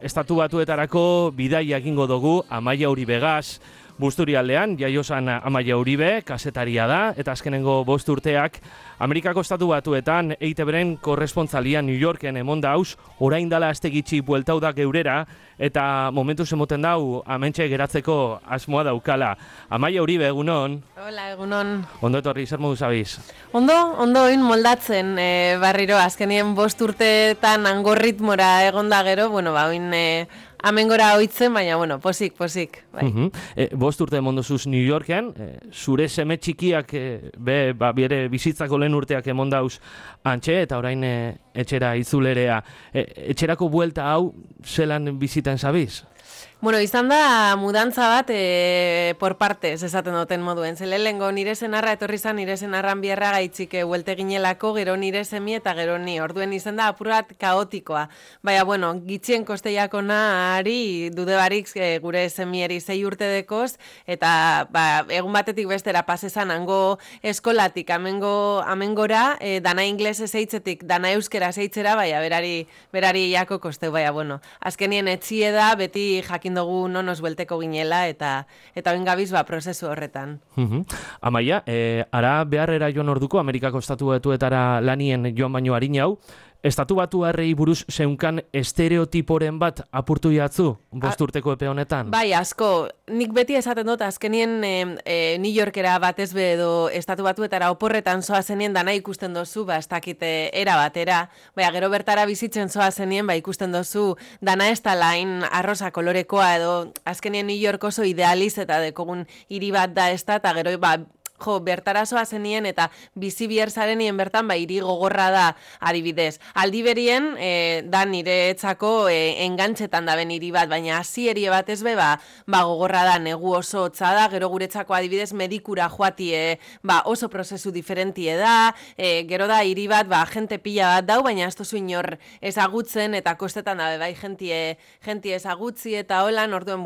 Estatu Batuetarako bidaia egingo dugu Amaia Uribegaz. Busturialdean, jaiosan Amaia Uribe, kasetaria da, eta azkenengo 5 urteak Amerikako Estatu Batuetan EITB-ren korrespontzalia New Yorken emon dauz, orain dala aste gitxi bueltau da geurera, eta momentu zemoten dau, amentxe geratzeko asmoa daukala. Amaia Uribe, egunon? Hola, egunon. Ondo etorri, zer modu zabiz? Ondo oin moldatzen, barriro, azkenien 5 urteetan hango ritmora egonda gero, bueno, oin amengora oitzen, baina, posik, bai. 5 urte emondozuz New Yorken, zure seme txikiak bere bizitzako lehen urteak emondauz antxe, eta orain etxera itzulerea. Etxerako buelta hau zelan biziten zabiz? Izan da mudantza bat por partes esaten duten moduen. Lehenengo nire senarra etorri zan, nire senarran bierra gaitzik huelte ginelako, gero nire semi eta gero ni. Orduen izan da apurat kaotikoa. Baina, gitxien kosteiako naari dude barik gure semieri 6 urte dekoz, eta egun batetik bestera pasezan hango eskolatik amengora, dana inglesez eitzetik, dana euskera zeitzera, baina berari jako kosteu, baina, azkenien etxie da, beti jakin dugu nonos buelteko ginela eta oin gabiz prozesu horretan. Amaia, ara beharrera joan orduko Amerikako Estatu Batuetara lanien joan baino harinau, Estatu Batuarrei buruz zeunkan estereotiporen bat apurtu jatzu 5 urteko epe honetan? Bai, asko. Nik beti esaten dut, azkenien New Yorkera batez be edo Estatu Batuetara oporretan zoazenien dana ikusten dozu, ez dakite era batera, gero bertara bizitzen zoazenien ikusten dozu dana ez da lain arrosa kolorekoa edo azkenien New York oso idealiz eta dekogun hiri bat da ez da, eta gero bertara zoazenien eta bizi bierzarenien bertan hiri gogorra da adibidez. Aldi berien, da nire etzako engantzetan daben hiri bat, baina hasierie bat ez be, gogorra da, negu oso hotza da, gero guretzako adibidez medikura joatie, oso prozesu diferentie da, gero da hiri bat, jente pila bat dau, baina ez tozu inor ezagutzen, eta kostetan da, jentie ezagutzi eta holan, orduen,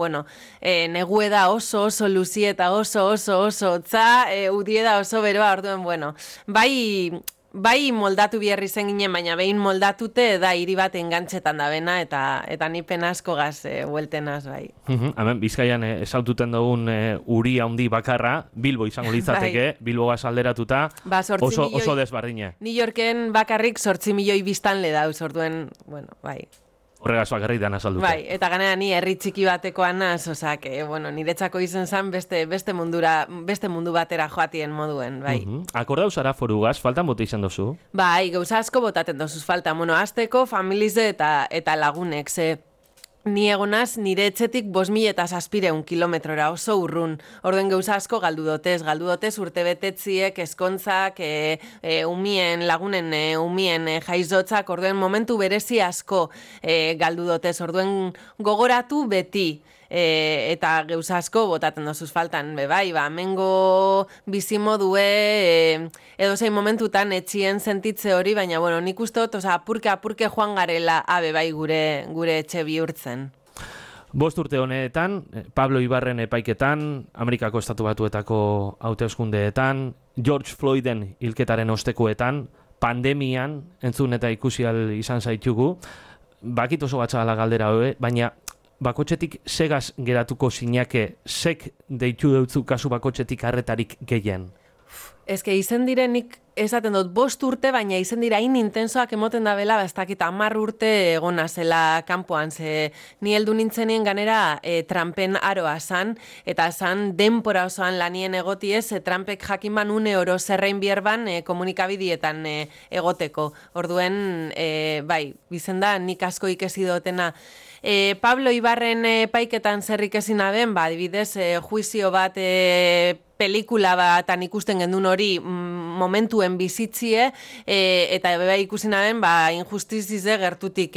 negue da oso luzi eta oso hotza, udie da oso beroa, orduen, bai moldatu biherri zen ginen, baina behin moldatute da hiri bat engantzetan da bena, eta ni penasko gaz hueltenaz, bai. Hemen, Bizkaian esaututen dugun uri handi bakarra, Bilbo izango litzateke, Bilbo gaz alderatuta, oso desbardine. New Yorken bakarrik 8 milioi biztanle dauz, orduen, bai. Horregaz bakarrik dana saldute. Bai, eta ganera ni herri txiki batekoan naz, osak, niretzako izen zan beste mundu batera joatien moduen, bai. Akordau zara forugaz, faltan bote izan dozu? Bai, gauza asko botaten dozuz falta, azteko familize eta lagunek, ze ni egonaz nire etxetik 5.700 kilometrora oso urrun. Orduen gauza asko galdu dotez urtebetetziek, eskontzak, lagunen umien jaizotzak, orduen momentu berezi asko galdu dotez. Orduen gogoratu beti. Eta gauza asko botaten dozuz faltan, mengo bizimodue edo zein momentutan etxien sentitze hori, baina nik uste dut, apurke joan garela gure etxe bihurtzen. 5 urte honetan, Pablo Ibarren epaiketan, Amerikako Estatu Batuetako hauteskundeetan, George Floyden hilketaren ostekoetan, pandemian, entzun eta ikusi ahal izan zaitugu, bakit oso gatzala galdera hobe, baina bakotxetik segaz geratuko zinake, sek deitu deutzu kasu bakotxetik arretarik gehien? Ezke izen direnik esaten dut 5 urte, baina izen dira hain intensoak emoten da bela, ez dakit 10 urte egona zela kanpoan, ze ni heldu nintzenien ganera Trumpen aroa zan, eta zan denpora osoan lanien egotiez, Trumpek jakin ban une oro zerrein bierban komunikabidietan egoteko. Orduen, bizen da, nik asko ikesi dutena. Pablo Ibarren paiketan zerrik ezin aben, adibidez, juizio bat pelikula batan ikusten gendun hori momentuen bizitzie, eta ikusi naben, injustizize gertutik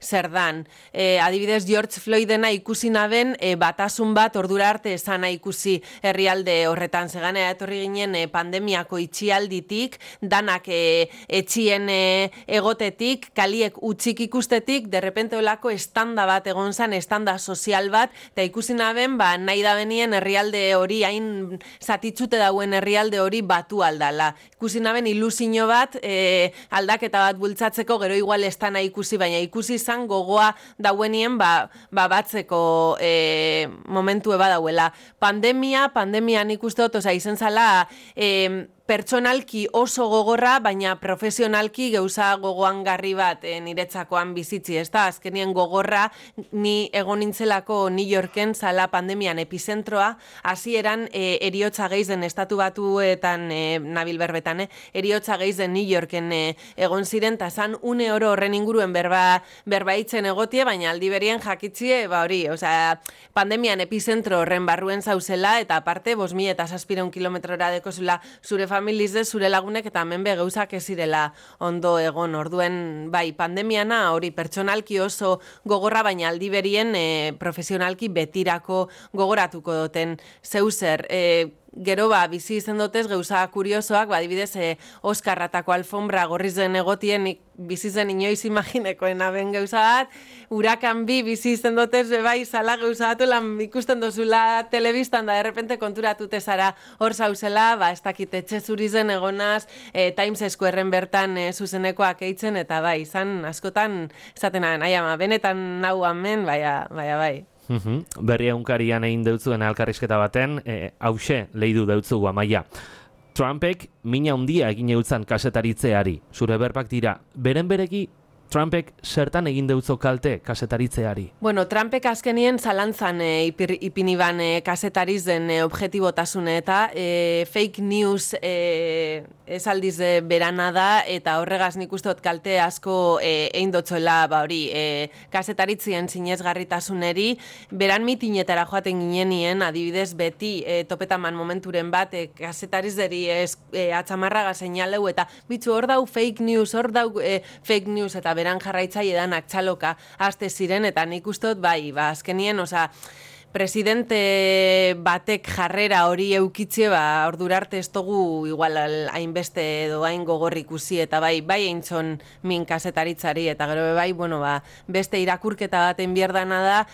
zer dan. Adibidez, George Floydena ikusi naben, batasun bat ordura arte esana ikusi herrialde horretan. Zeganea etorri ginen pandemiako itxialditik, danak etxien egotetik, kaliek utxik ikustetik, derrepente olako estanda bat egon zan, estanda sozial bat, eta ikusi naben, nahi da benien herrialde hori hain zatitzute dauen herrialde hori batu aldala. Ikusi naben ilusio bat, aldaketa bat bultzatzeko, gero igual estana ikusi, baina ikusi izan gogoa dauenien batzeko momentu eba dauela. Pandemian ikuste dut, izen zala, pertsonalki oso gogorra, baina profesionalki geuza gogoangarri bat niretzakoan bizitzi, ez da? Azkenien gogorra, ni egon nintzelako New Yorken zala pandemian epizentroa, hasieran eriotza geizen estatu batuetan, nabil berbetan, eriotza geizen New Yorken egon ziren, eta zan une oro horren inguruen berbaitzen egotie, baina aldi berien jakitzie, hori, pandemian epizentro horren barruen zauzela, eta aparte, 5.700 kilometrora dekozula zure familizde, zure lagunek, eta hemen geuzak ez zirela ondo egon. Orduen, bai, pandemiana hori pertsonalki oso gogorra, baina aldi berien profesionalki betirako gogoratuko duten zeuzer. Gero bizi izen dotez geuza kuriosoak, adibidez Oskarratako alfombra gorriz den egotien bizi zen inoiz imaginekoen aben geuza bat, Hurakan bi bizi izen dotez bai zala geuza batu lan ikusten dozula telebistan da derrepente konturatute zara hor zauzela, ez dakit etxe zurizen egonaz, Times Squareen bertan zuzenekoak eitzen, eta bai, izan askotan esaten benetan nau hemen, bai. Berri egunkarian egin deutzuen elkarrizketa baten, hause leidu deutzu Amaia. Trumpek mina handia egin eutzan kasetaritzeari. Zure berbak dira, beren bereki Trumpek zertan egin deutzo kalte kasetaritzeari? Bueno, Trumpek azkenien zalantzan ipiniban kasetariz den objetibotasune eta fake news ez aldiz berana da, eta horregaz nik usteot kalte asko egin dotzoela kasetaritzien zinezgarritasuneri, beran mitinetara joaten ginenien, adibidez beti topetaman momenturen bat kasetarizderi atzamarraga seinaleu, eta bitzu hor dau fake news, eta beran jarraitzaile danak txaloka aste ziren, eta nik ustot azkenien, presidente batek jarrera hori eukitzie, ordurarte ez dugu igual hainbeste edo hain gogorri ikusi, eta bai eintzon min kasetaritzari, eta gero beste irakurketa baten bierdana da,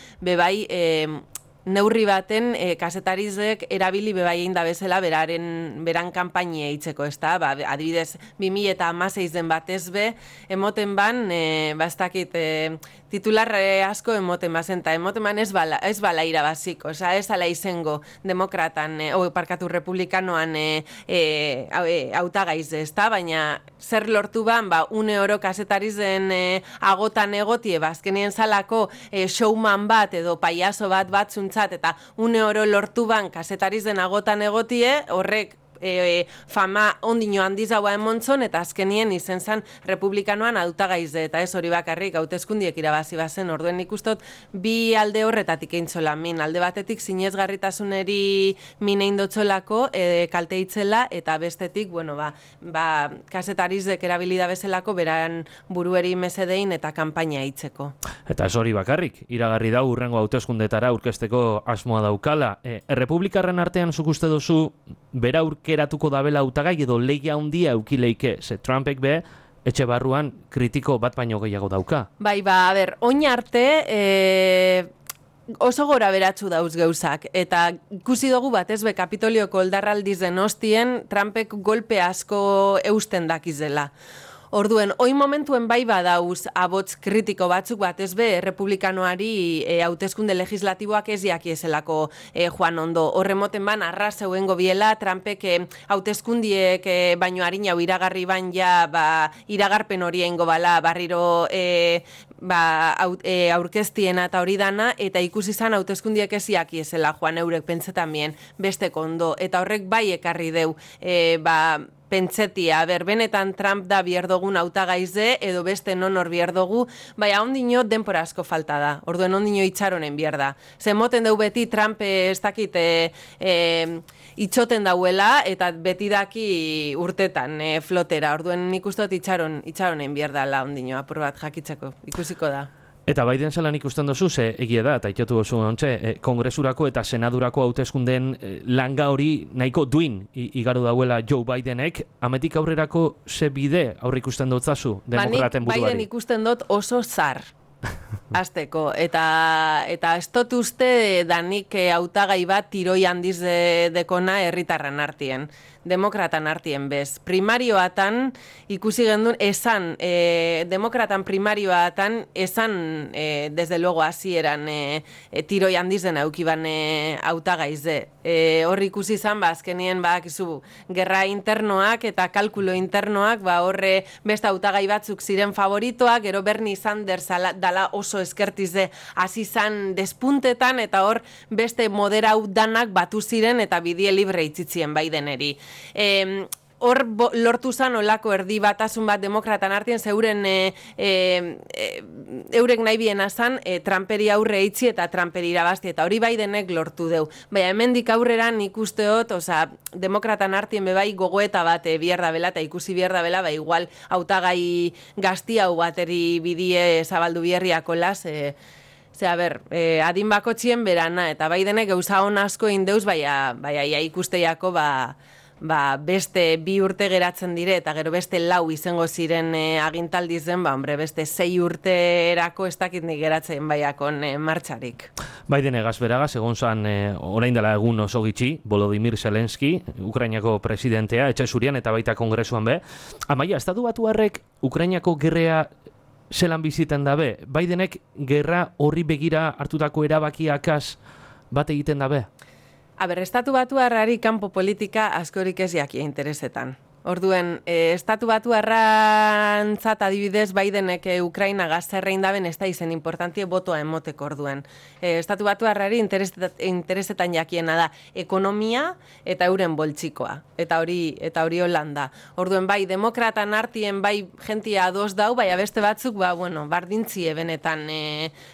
neurri baten kasetarizek erabili bebaien da bezala beran kanpainia eitzeko, ez da? Adibidez, 2016 den batez emoten ban, bastakit, titular asko emoten bazen, eta emoten ban ez bala irabazik, ez ala izango demokratan, republikanoan hautagaiz, ez da? Baina zer lortu ban, une oro kasetarizen agotan egotie, azkenien zalako showman bat edo paiazo bat zuntzat, eta une oro lortu ban kasetariz den agotan egotie, horrek fama ondino handiz haua emontzon, eta azkenien izen zan republikanoan hautagaize, eta ez hori bakarrik hauteskundiek irabazi bazen. Orduen nik ustot bi alde horretatik eintzola min, alde batetik zinezgarritasuneri min eindotzolako kalte itzela, eta bestetik, kasetarizek erabilida bezalako beran burueri mesedein eta kanpaina itzeko. Eta ez hori bakarrik, iragarri dau urrengo hauteskundetara aurkezteko asmoa daukala. Errepublikarren artean zuk uste duzu bera aurkeratuko dabela hautagai edo lehia handia eukileike, ze Trumpek etxe barruan kritiko bat baino gehiago dauka. Oin arte oso gora beratzu dauz geuzak, eta ikusi dugu batez Kapitolioko oldarraldiz den ostien Trumpek golpe asko eusten dakizela. Orduen, oin momentuen badauz abots kritiko batzuk batez republikanoari hauteskunde legislatiboak ez jakiezelako joan ondo. Horremoten ban, arras euengo biela, Trumpek hauteskundiek baino harin hau iragarri ban iragarpen hori eingo bala barriro aurkeztiena eta hori dana, eta ikusi izan hauteskundiek ez jakiezela joan eurek pentsetan bien besteko ondo. Eta horrek ekarri deu, pentsetia, benetan Trump da bierdogun hautagaize, edo beste non hor bierdogu, ondino denpora asko falta da, orduen ondino itxaronen bierda. Zemoten deu beti Trump ez dakit itxoten dauela, eta beti daki urtetan flotera, orduen nik ustot itxaronen bierda la ondino, apur bat jakitzeko, ikusiko da. Eta Biden zelan ikusten dozu, ze egia da, eta itotu oso ontxe, kongresurako eta senadurako hauteskundeen langa hori nahiko duin igaru dauela Joe Bidenek, ametik aurrerako ze bide aurre ikusten dotzazu demokraten buruari? Biden ikusten dut oso zar. Azteko, eta ez dut uste danik hautagai bat tiroi handiz dekona herritarran artien, demokratan artien bez. Primarioatan ikusi gendun, esan, demokratan primarioatan esan, desde luego hasieran tiroi handiz den aukiban hautagaiz de. Hor ikusi izan, azkenien izu, gerra internoak eta kalkulo internoak, horre beste hautagai batzuk ziren favoritoak, gero Bernie Sanders dala oso eskertize hasi izan despuntetan, eta hor beste moderau danak batu ziren eta bidie libre itzitzien Bideneri. Hor lortu zan olako erdi batasun bat demokratan artien, zeuren eurek nahi biena zan Trumperi aurre itzi eta Trumperi irabazti, eta hori Bidenek lortu deu. Baina hemendik aurrera nik usteot, demokratan artien bebai gogoeta bat bihar da bela, eta ikusi bihar da bela, igual hautagai gazti hau bateri bidie zabaldu biherriako las, adin bakotxien berana, eta Bidenek gauza hon asko indeuz, baina ikusteiako, beste 2 urte geratzen dire, eta gero beste 4 izango ziren agintaldi zen, beste 6 urterako ez dakit nik geratzen baiakon martxarik. Biden egaz beragaz, egon zan orain dela egun oso gitxi, Volodymyr Zelensky, Ukrainako presidentea, etxe zurian eta baita kongresuan be. Amaia, estatu batuarrek Ukrainako gerrea zelan biziten dabe? Bidenek gerra horri begira hartutako erabakiakaz bat egiten dabe? Estatu batuarrari kanpo politika askorik ez jakia interesetan. Orduen, estatu batuarrantzat adibidez Bidenek Ukraina gazerrein daben ez da izen importantie botoa emoteko orduen. Estatu batuarrari interesetan jakiena da ekonomia eta euren boltsikoa. Eta hori Holanda. Orduen, demokratan artien jentia ados dau, beste batzuk, bardintzie benetan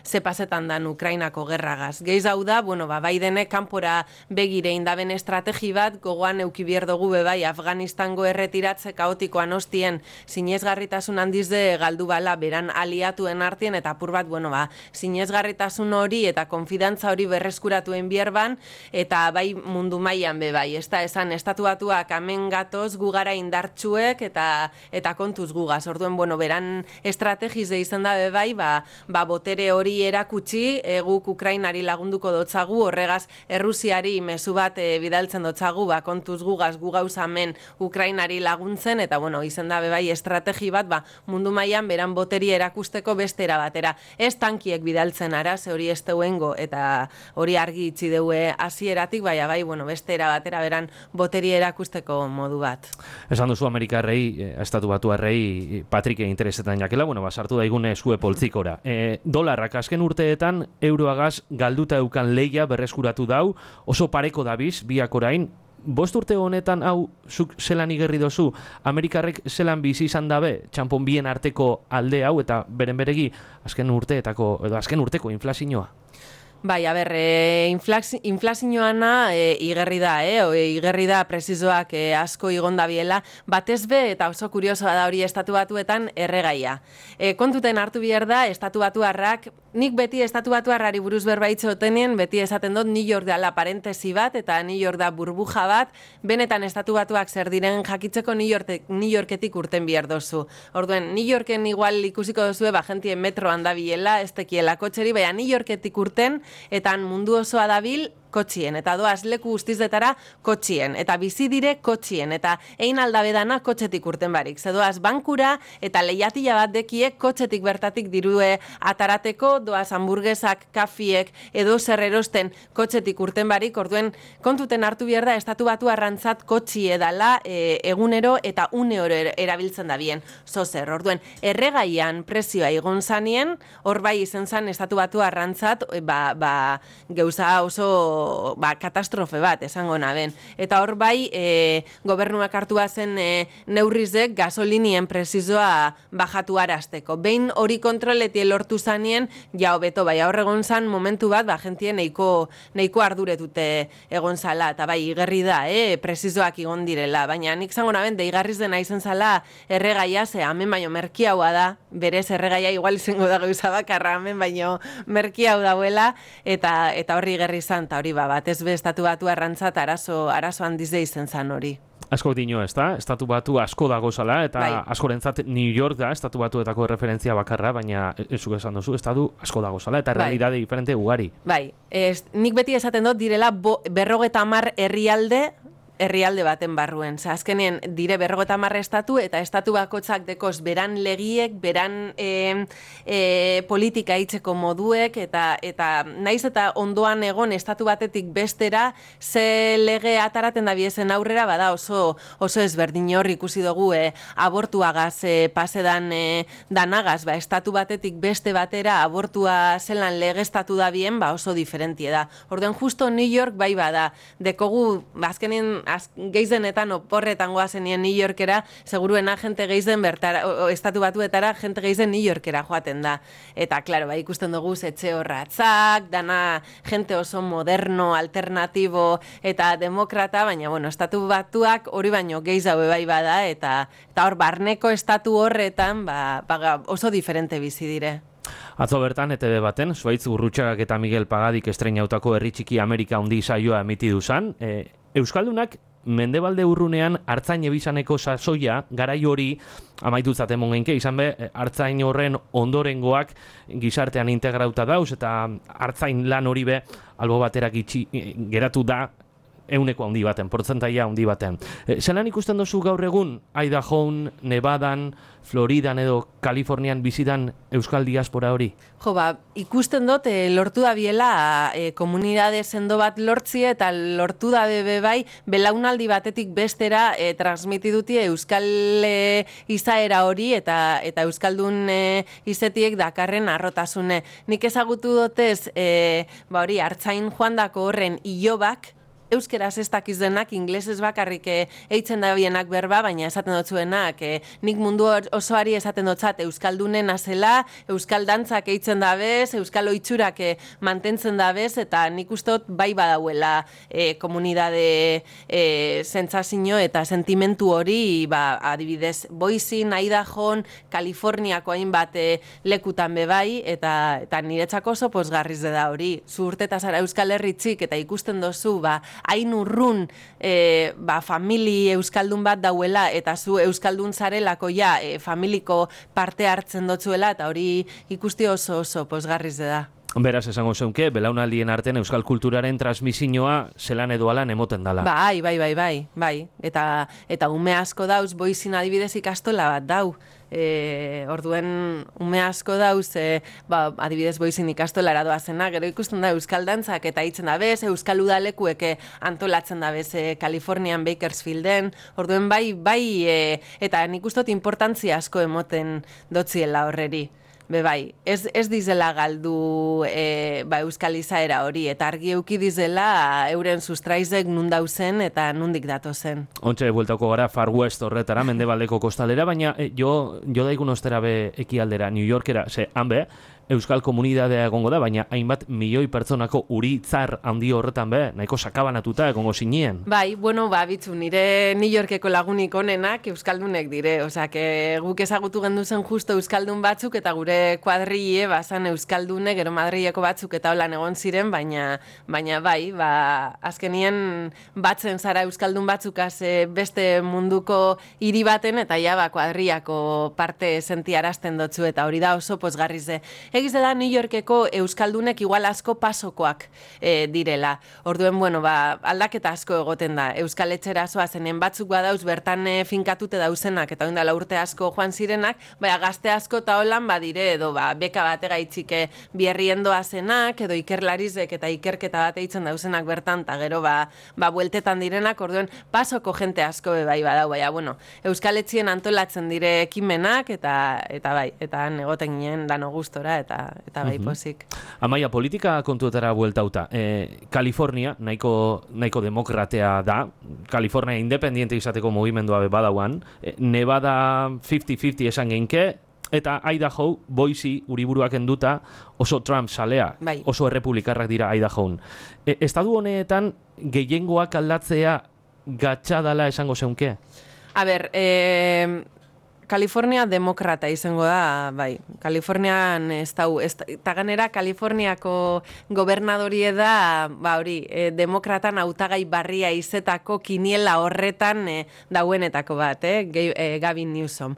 zepazetan dan Ukrainako gerragaz. Gehiz hau da, Bidenek kanpora begirein daben estrategi bat, gogoan eukibier dugu Afganistango erretiratze kaotikoan ostien sinesgarritasun handiz de galdu bala beran aliatuen artien, eta apur bat, sinesgarritasun hori eta konfidantza hori berreskuratuen bierban, eta mundu mailan bai. Ez da esan, estatu batuak hemen gatoz gugara indartsuek eta kontuz gugaz. Orduen, beran estrategiz de izan da bai, botere hori erakutsi, guk Ukrainari lagunduko dotzagu, horregaz Errusiari mezu bat bidaltzen dotzagu, kontuz gugaz, gu gauza hemen Ukrainari laguntzen, eta izan da bai estrategi bat, mundu mailan beran boteri erakusteko bestera batera. Ez tankiek bidaltzen ara, ze hori ez deuengo, eta hori argi itzi deue hasieratik, bestera batera beran boteri erakusteko modu bat. Esan duzu Amerikarrei, estatu batuarrei, Patrike interesetan jakela, sartu daigune zue poltzikora. Dolarrak azken urteetan euroagaz galduta eukan leia berreskuratu dau, oso pareko dabiz, biak orain. 5 urte honetan hau zuk zelan igerri dozu, Amerikarrek zelan bizi izan dabe, txanpon bien arteko alde hau, eta beren beregi azken urteko inflazioa? Inflazioana igerri da, igerri da presizoak asko igonda biela, batez be, eta oso kuriosoa da hori estatu batuetan erregaia. Kontuten hartu behar da, estatu batuarrak, nik beti estatu batuarrari buruz berbaitze otenien, beti esaten dut New York dela parentesi bat, eta New York da burbuja bat, benetan estatu batuak zer diren jakitzeko New Yorketik urten behar dozu. Orduen, New Yorken igual ikusiko dozue, jentien metroan da biela, ez tekiela kotxeri, baina New Yorketik urten, eta mundu osoa dabil kotxien, eta doaz leku guztizetara kotxien, eta bizi dire kotxien, eta ein aldabedana kotxetik urten barik. Zedoaz bankura eta lehiatila bat dekiek kotxetik bertatik dirue atarateko, doaz hamburguesak, kafiek, edo zer erosten kotxetik urten barik, orduen kontuten hartu behar da, estatu batu arrantzat kotxi edala egunero eta une oro erabiltzen da bien. Zozer, orduen, erregaian prezioa igon zanien, hor bai izen zan estatu batu arrantzat, geuza oso katastrofe bat, esango naben. Eta hor bai, gobernuak hartu zen neurrizek gasolinien prezizoa bajatu arazteko. Behin hori kontroletie lortu zanien, ja hobeto, bai, horregon zan momentu bat, jentien nahiko arduretute egon zala, eta bai, igerri da, prezizoak igon direla. Baina nik zango naben, deigarriz dena izen zala erregaia, ze hemen baino merkiaua da, berez erregaia igual izango da gauza bakarra, hemen baino merkiau dauela, eta horri gerri zan, eta hori batez be estatu batu arrantzat arazo handiz de izen zan hori. Asko dino ez da, estatu batu asko dago zala, eta Bai. askorentzat New York da, estatu batuetako referentzia bakarra, baina ezuk esan duzu, estatu asko dago zala, eta Bai. realidade diferente ugari. Bai, nik beti esaten dut direla 50 herrialde baten barruen. Azkenien dire 50 estatu eta estatu bakotzak dekoz beran legiek, beran politika hitzeko moduek eta naiz eta ondoan egon estatu batetik bestera ze lege ataraten da biezen aurrera bada oso ezberdin hor ikusi dugu abortuagaz pasedan danagaz, estatu batetik beste batera abortua zelan legestatu da bien, oso diferentie da. Orduan justo New York bai bada, dekogu azkenien geizenetan oporretan goazenien New Yorkera, seguruena jente geizen bertara, estatu batuetara jente geizen New Yorkera joaten da. Eta, klaro, ikusten dugu etxe horratzak, dana jente oso moderno, alternatibo eta demokrata, baina, estatu batuak hori baino geiz haue bai bada, eta hor barneko estatu horretan, oso diferente bizi dire. Atzo bertan, ETV baten, Zuaitz Gurrutxagak eta Miguel Pagadik estreinautako Herri Txiki Amerika handi saioa emitidu zan. Euskaldunak Mendebalde urrunean hartzain ebizaneko sasoia garai hori amaitutzat emon genke, izan be, hartzain horren ondorengoak gizartean integrauta dauz, eta hartzain lan hori be albo baterak geratu da euneko handi baten, portzentaia handi baten. Zelan ikusten dozu gaur egun, Idahoan, Nevadan, Floridan edo Kalifornian bizidan euskal diaspora hori? Jo, ikusten dut lortu da biela komunidade sendo bat lortzie eta lortu da bai belaunaldi batetik bestera transmitiduti euskal izaera hori eta euskaldun izetiek dakarren arrotasune. Nik ezagutu dotez hori hartzain joandako horren ilobak, euskeraz ez dakiz denak, inglesez bakarrik eitzen da bienak berba, baina esaten dutzuenak, nik mundu osoari esaten dutzat euskaldunen azela, euskal dantzak eitzen da bez, euskal oitzurak mantentzen da bez, eta nik ustot bai badauela komunidade sentsazio eta sentimentu hori, adibidez, Boise, Idahoan, Kaliforniako hainbat lekutan bebai, eta niretzako oso pozgarriz da hori. Zu urteta zara Euskal Herritzik eta ikusten dozu, hain urrun famili euskaldun bat dauela eta zu euskaldun zarelako familiko parte hartzen dotzuela eta hori ikusti oso pozgarriz da. Beraz, esango zeunke, belaunaldien artean euskal kulturaren transmisioa zelan edo alan emoten dala. Bai. Eta ume asko dauz, Boisin adibidez ikastola bat dau. Orduen ume asko dauz, adibidez Boisin ikastolara doazena, gero ikusten da euskal dantzak eta hitzen da bez, euskal udalekuek antolatzen da bez Kalifornian Bakersfielden, orduen bai, eta nik ustot importantzia asko emoten dotziela horreri. Bai, ez dizela galdu euskal izaera hori, eta argi euki dizela euren sustraizek nundauzen eta nundik datozen. Ontxe, bueltako gara Far West horretara, Mendebaldeko kostalera, baina jo daigun ostera be ekialdera, New Yorkera, hanbe, euskal komunidadea egongo da, baina hainbat milioi pertsonako uritzar handi horretan be, nahiko sakabanatuta egongo zinien. Bai, bitzu, nire New Yorkeko lagunik onenak euskaldunek dire, guk ezagutu genduzen justo euskaldun batzuk eta gure kuadrille bazan euskaldunek, gero Madrileko batzuk eta holan egon ziren, baina bai, azkenien batzen zara euskaldun batzukaz beste munduko hiri baten eta kuadriako parte sentiarazten dotzu eta hori da oso pozgarrize. Egiz da New Yorkeko euskaldunek igual asko pasokoak direla. Orduen, aldaketa asko egoten da. Euskal etxera zoazenen batzuk badauz bertan finkatute dauzenak eta ondala urte asko joan zirenak, gazte asko eta holan badire edo beka batega itxike bierriendoa zenak edo ikerlarizek eta ikerketa bat eitzen dauzenak bertan eta gero bueltetan direnak, orduen pasoko jente asko bai badau, euskal etxien antolatzen dire ekimenak eta han egoten ginen dano gustora eta bai pozik. Amaia, politika kontuetara bueltauta. Kalifornia, nahiko demokratea da. Kalifornia independiente izateko mugimendua badauan. Nevada 50-50 esan genke, eta Idaho, Boise, uriburuak enduta, oso Trump salea, oso errepublikarrak dira Idahoan. Estadu honetan, gehiengoak aldatzea gatsa dala esango zeunke? A ber, Kalifornia demokrata izango da, bai. Kalifornian eta ganera Kaliforniako gobernadorie da, hori, demokratan hautagai barria izetako kiniela horretan dauenetako bat, Gavin Newsom.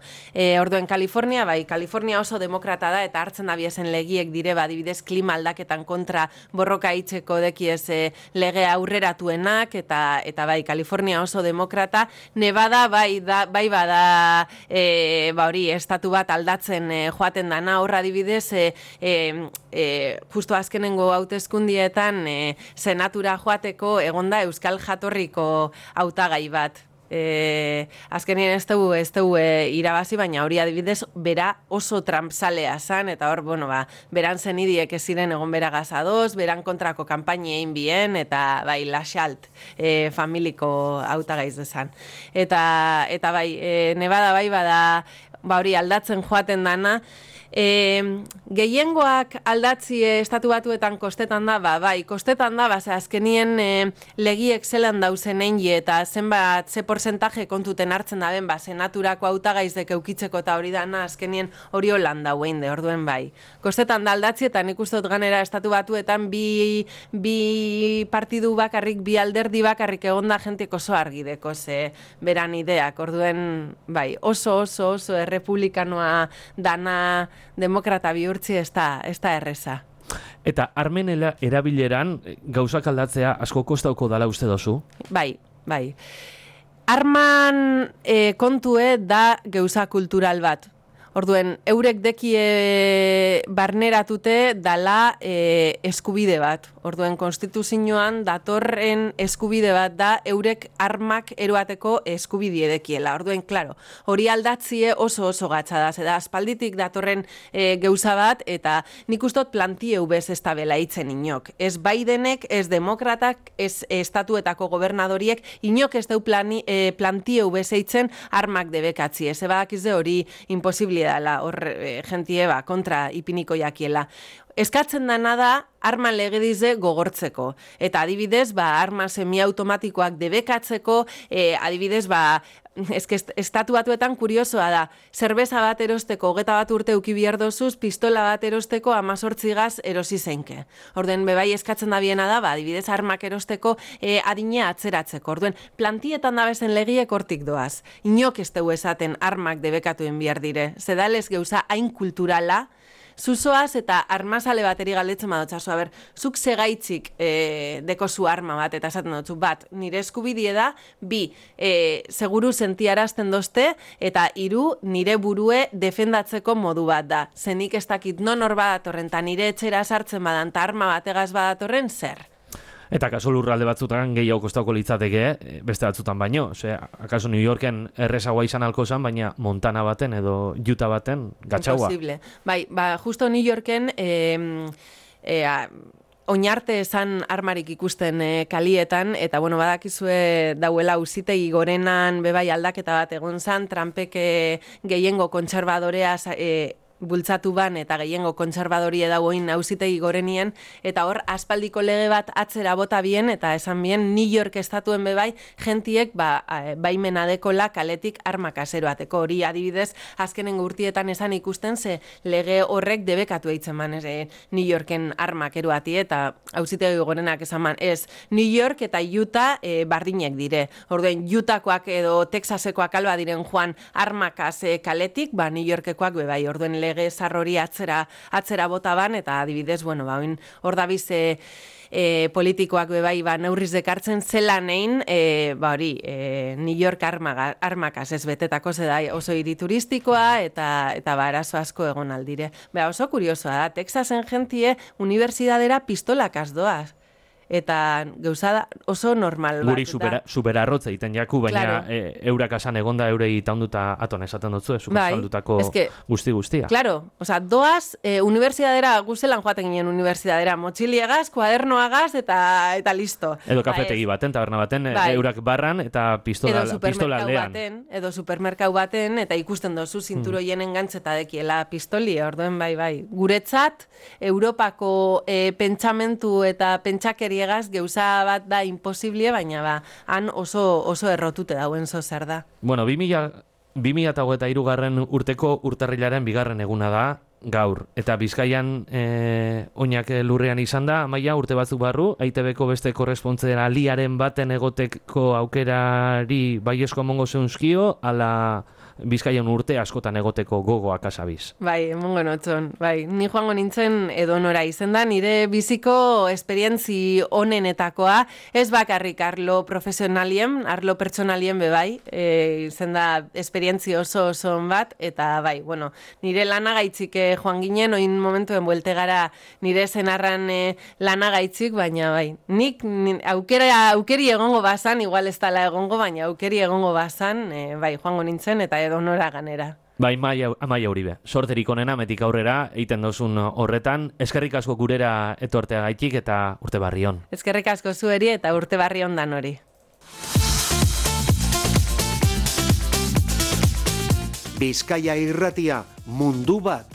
Orduen Kalifornia, bai, Kalifornia oso demokrata da, eta hartzen abiezen legiek dire, adibidez, klima aldaketan kontra borroka itxeko dekiez lege aurreratuenak, eta bai, Kalifornia oso demokrata, Nevada, bai bada, hori, estatu bat aldatzen joaten dana, horra adibidez, justo azkenengo hauteskundietan senatura joateko egonda euskal jatorriko hautagai bat. Azkenien ez dugu irabazi, baina hori adibidez bera oso Trump-zalea zan, eta hor, beran zenidiek ez ziren egon bera gazadoz, beran kontrako kanpaini egin bien, eta bai, Laxalt familiko hautagaiz dezan. Eta bai, Nevada bai bada, hori aldatzen joaten dana, gehiengoak aldatzi estatu batuetan kostetan da, bai, kostetan da, azkenien legiek zelan dauzen eingi eta zenbat, ze porcentaje kontuten hartzen daben, senaturako hautagaizek eukitzeko eta hori dana, azkenien hori holan dauen de, orduen bai. Kostetan da aldatzi eta nik uste dut ganera estatu batuetan bi partidu bakarrik, bi alderdi bakarrik egonda jentik oso argideko, ze beran ideak, orduen bai, oso errepublikanoa dana demokrata bihurtzi ez da erreza. Eta armen erabileran gauzak aldatzea asko kostauko dala uste dozu? Bai. Arman kontue da gauza kultural bat. Orduen, eurek dekie barneratute dala eskubide bat. Orduen, konstituzioan datorren eskubide bat da eurek armak eroateko eskubide dekiela. Orduen, klaro, hori aldatzie oso gatsa da. Zeda, aspalditik datorren gauza bat, eta nik ustot plantieu bez ez da bela itzen inok. Ez Bidenek, ez demokratak, ez estatuetako gobernadoriek, inok ez dau plantieu bez eitzen armak debekatzi. Ez badakizde hori imposible dela, hor jentie kontra ipiniko jakiela. Eskatzen dana da arma legedize gogortzeko. Eta adibidez, arma semiautomatikoak debekatzeko, adibidez, estatu batuetan kuriosoa da. Zerbeza bat erosteko 21 urte uki behar dozuz, pistola bat erosteko 18 gaz erosi zeinke. Orden, bebai eskatzen da biena da, adibidez, armak erosteko adina atzeratzeko. Orden, plantietan da bezen legiek hortik doaz. Inok ez dugu esaten armak debekatuen behar dire. Zedalez geuza hain kulturala, zuzoaz eta armazale bateri galdetzen badotzazu, zuk segaitzik deko zu arma bat, eta esaten dutzu, bat, nire eskubidie da, bi, seguru sentiarazten dozte, eta hiru, nire burue defendatzeko modu bat da. Zenik ez dakit non hor badatorren, eta nire etxera sartzen badan, eta arma bategaz badatorren, zer? Eta kaso lurralde batzutan gehiago kostauko litzateke, beste batzutan baino. Akaso New Yorken errezagoa izan alko zen, baina Montana baten edo Utah baten gatxaua. Imposible. Bai, justo New Yorken oinarte esan armarik ikusten kalietan, eta badakizue dauela auzitegi gorenan bebai aldaketa bat egon zan, Trumpek gehiengo kontserbadorea bultzatu ban eta gehiengo kontserbadorie dagoin auzitegi gorenien, eta hor aspaldiko lege bat atzera bota bien, eta esan bien New York estatuen bebai, gentiek baimena dekola kaletik arma kaseroateko. Hori adibidez, azkenengo urtietan esan ikusten, ze lege horrek debekatu eitzen man, New Yorken armak eroati, eta auzitegi gorenak esan man, ez, New York eta Utah bardinek dire. Orduen, Utahkoak edo Texasekoak alba diren joan armakaz kaletik, New Yorkekoak bebai, orduen lege zarrori atzera bota ban, eta adibidez, hor dabiz politikoak bebai neurriz dekartzen zelan egin, New York armakaz ez betetako zeda oso hiri turistikoa, eta arazo asko egon aldire. Oso kuriosoa da, Texasen jentie unibertsidadera pistolakaz doaz. Eta gauza oso normal bat. Guri superarrotza egiten jaku, baina eurak asan egonda eurei taunduta aton esaten dutzu, saldutako guzti-guztia. Claro, doaz, unibertsidadera, guzelan joaten ginen unibertsidadera, motxiliegaz, kuadernoagaz, eta listo. Edo kafetegi baten, taberna baten, eurak barran, eta pistola aldean. Edo supermerkau baten, eta ikusten dozu zinturoien engantzeta dekiela pistoli, orduen bai. Guretzat, Europako pentsamentu eta pentsakeri geuza bat da imposible, baina han oso errotute dauen zer da. 2000 2023 urteko urtarrilaren 2. eguna da, gaur. Eta Bizkaian oinak lurrean izan da, Amaia, urte batzuk barru, EITB-ko beste korrespontzaliaren baten egoteko aukerari baiesko emongo zeunzkio, ala Bizkaian urte askotan egoteko gogoak asabiz. Bai, emongo notzon. Bai, ni joango nintzen edonora izen da, nire biziko esperientzi onenetakoa, ez bakarrik arlo profesionalien, arlo pertsonalien bebai, izen da esperientzi oso bat, eta bai, bueno, nire lanagaitzik joan ginen, oin momentuen buelte gara nire zenarran lanagaitzik, baina bai, nik aukeri egongo bazan, igual ez dala egongo, baina aukeri egongo bazan, bai, joango nintzen, eta edonora ganera. Bai, Amaia Uribe, sorterik onena metik aurrera egiten dozun horretan, eskerrik asko gurera etorteagaitik eta urte barri on. Eskerrik asko zueri eta urte barri on dan hori. Bizkaia Irratia, mundu bat.